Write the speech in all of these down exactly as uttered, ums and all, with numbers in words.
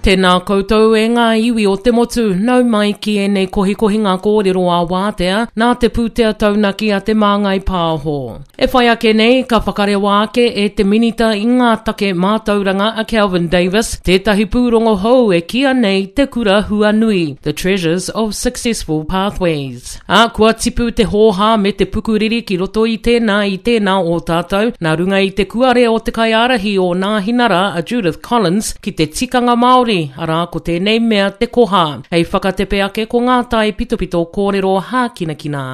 Tēnā koutou e ngā iwi o te motu, nau mai ki ēnei kohikohinga kōrero ā wātea, nā te pūtea taunaki a Te Māngai Pāho. E whai ake nei, ka whakarewa ake e te Minita i ngā take mātauranga a Kelvin Davis, tētahi pūrongo hou e kīia nei Te Kura Huanui, The Treasures of Successful Pathways. Ā, kua tipu te hōhā me te pukuriri ki roto i tēnā i tēnā o tātou, nā runga i te kuare o te kaiārahi o Nāhinara a Judith Collins ki te tikanga Māori, arā ko tēnei mea te koha. Hei whakatepe ake ko ngā tai pitopito kōrero hākinakina.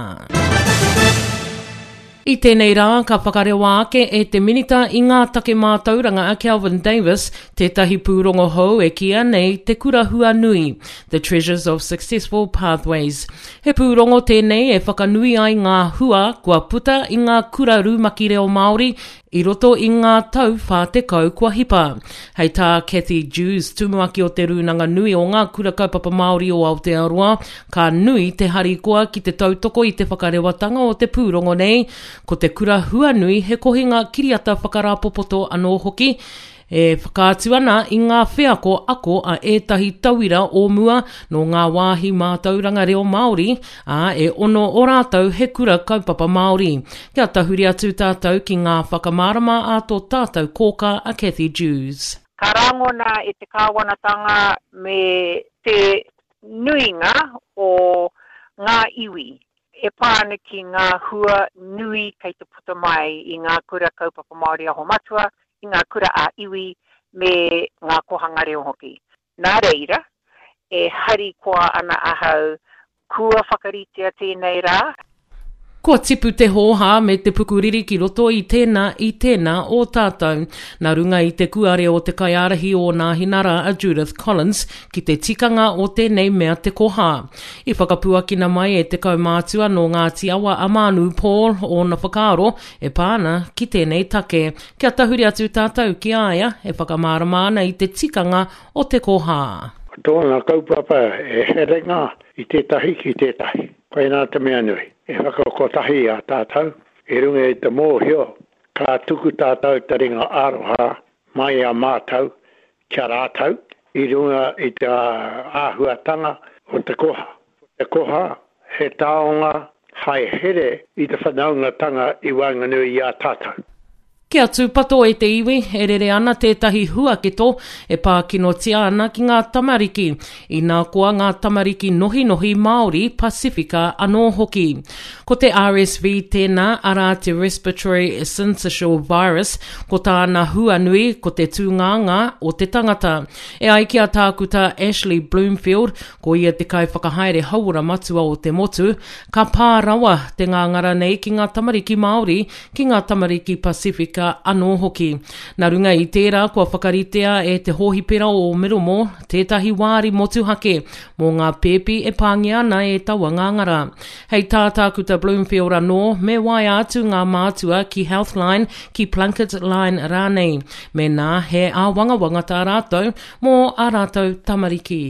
I tēnei rā, ka whakarewa ake e te Minita i ngā take mātauranga a Kelvin Davis, tētahi pūrongo hou e kīia nei Te Kura Huanui, The Treasures of Successful Pathways. He pūrongo tēnei e whakanui ai ngā hua kua puta i ngā kura rumaki reo Māori i roto i ngā tau whā tekau kua hipa. Hei tā Cathy Dewes, tumuaki o te Rūnanga Nui o ngā Kura Kaupapa Māori o Aotearoa, ka nui te harikoa ki te tautoko i te whakarewatanga o te pūrongo nei, ko te Kura Huanui he kohinga kiriata whakarāpopoto anō hoki, e whakaatu ana i ngā wheako ako a ētahi tauira o mua nō ngā wāhi mātauranga reo Māori, ā, e ono o rātou he kura kaupapa Māori. Kia tahuri atu tātou ki ngā whakamārama a tō tātou kōkā a Cathy Dewes. Ka rangona e te kāwanatanga me te nuinga o ngā iwi e pā ana ki ngā hua nui kei te puta mai i ngā kura kaupapa Māori aho matua, i ngā kura ā-iwi me ngā kohanga reo hoki. Nā reira, e harikoa ana ahau kua whakaritea tēnei rā. Kua tipu te hōhā me te pukuriri ki roto i tēnā i tēnā o tātou. Nā runga i te kuare o te kaiārahi o Nāhinara a Judith Collins ki te tikanga o tēnei mea te koha. I whakapuakina mai e te kaumātua nō Ngāti Awa a Mānu Paul ōna whakaaro e pā ana ki tēnei take. Kia tahuri atu tātou ki a ia e whakamārama ana i te tikanga o te koha. Ko tōna kaupapa e herenga i tētahi ki tētahi. Koinā te mea nui. E whakakotahi a tātou i runga i te mōhio ka tuku tātou te ringa aroha mai a mātou ki a rātou i runga i te āhuatanga o te koha. Ko te koha he taonga hai here i te whanaungatanga i waenganui i a tātou. Kia tūpato e te iwi, e rere ana tētahi huaketo e pākinotia ana ki ngā tamariki, inā koa ngā tamariki nohinohi Māori, Pasifika anō hoki. Ko te R S V tēnā, arā te Respiratory Syncytial Virus, ko tāna huanui ko te tūngāngā o te tangata. E ai ki a Tākuta Ashley Bloomfield, ko ia te kaiwhakahaere hauora matua o te motu, ka pā rawa te ngāngara nei ki ngā tamariki Māori, ki ngā tamariki Pasifika anō hoki. Nā runga i tērā kua whakaritea e te hōhipera o Middlemore tētahi wāri motuhake mō ngā pēpi e pāngia ana e taua ngāngara. Hei tā Tākuta Bloomfield anō, me waea atu ngā mātua ki Healthline, ki Plunket Line rānei. Mēnā he āwangawanga tā rātou mō ā rātou tamariki.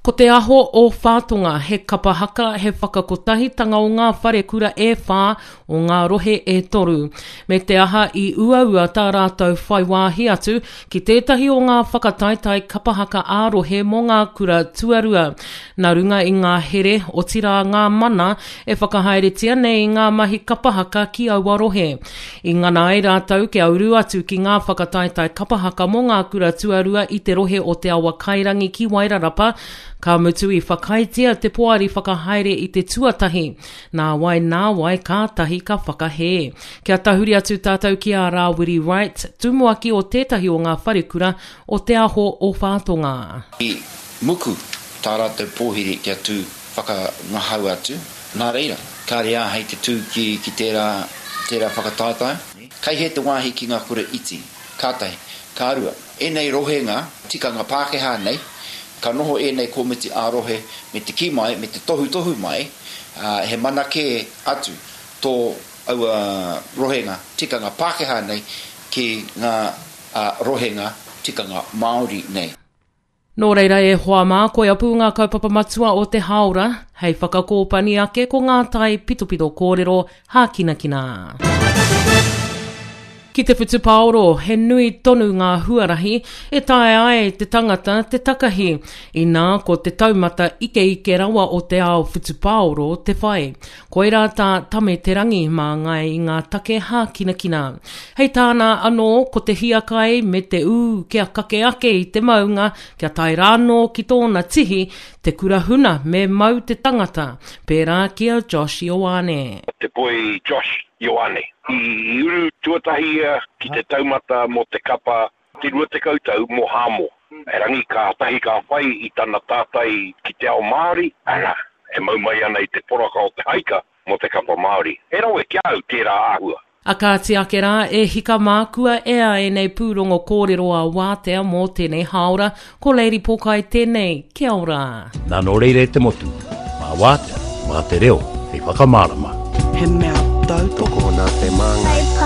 Ko te aho o Whātonga, he kapa haka, he whakakotahitanga o ngā wharekura e whā o ngā rohe e toru. Me te aha i uaua tā rātou whai wāhi atu ki tētahi o ngā whakataetae kapa haka ā-rohe mō ngā kura tuarua. Nā runga i ngā here, otirā ngā mana e whakahaeretia nei i ngā mahi kapa haka ki aua rohe. I ngana ai rātou kia uru atu ki ngā whakataetae kapa haka mō ngā kura tuarua i te rohe o Te Awa Kairangi ki Wairarapa, ka mutu i whakaaetia te poari whakahaere i te tuatahi. Nā wai, nā wai, kātahi ka whakahē. Kia tahuri atu tātou ki a Rāwiri Wright, tumuaki o tētahi o ngā wharekura o Te Aho o Whātonga. I muku tā rātou pōhiri kia tū whakangahau atu. Nā reira, kāre āhei te tū ki, ki tērā, tērā whakataetae. Kai he te wāhi ki ngā kura iti, kātahi, ka rua. Ēnei rohenga, tikanga Pākehā nei, ka noho ēnei komiti ā-rohe me te kī mai, me te tohutohu mai, ā, he mana kē atu tō aua rohenga tikanga Pākehā nei ki ngā, ā, rohenga tikanga Māori nei. Nō reira e hoa mā, koia pū ngā kaupapa matua o te hāora, hei whakakōpani ake ko ngā tai pitopito kōrero hākinakina. Ki te whutupaoro, he nui tonu ngā huarahi e taea ai te tangata te takahi, inā ko te taumata ikeike rawa o te ao whutupaoro te whai. Koirā tā Tame Te Rangi māngai i ngā take hākinakina. Hei tāna anō ko te hiakai me te ū kia kake ake i te maunga kia tae rānō ki tōna tihi, te kura huna me mau te tangata, pērā ki a Josh Ioane. Te poi Josh Ioane. I uru tuatahi ia ki te taumata mō te kapa te rua tekau tau mō Hāmoa. Erangi kātahi ka whai i tana tātai ki te ao Māori, ana, e mau mai ana i te poraka o te haika mō te kapa Māori. He rawe ki a au tērā āhua. A kāti ake rā, e hika mā, kua ea ēnei pūrongo kōrero a Wātea mō tēnei hāora, ko Lady Pōkai tēnei, kia ora. Nā nō reira e te motu, mā Wātea, mā te reo, hei whakamārama. He mea tautoko Tokona te māngai.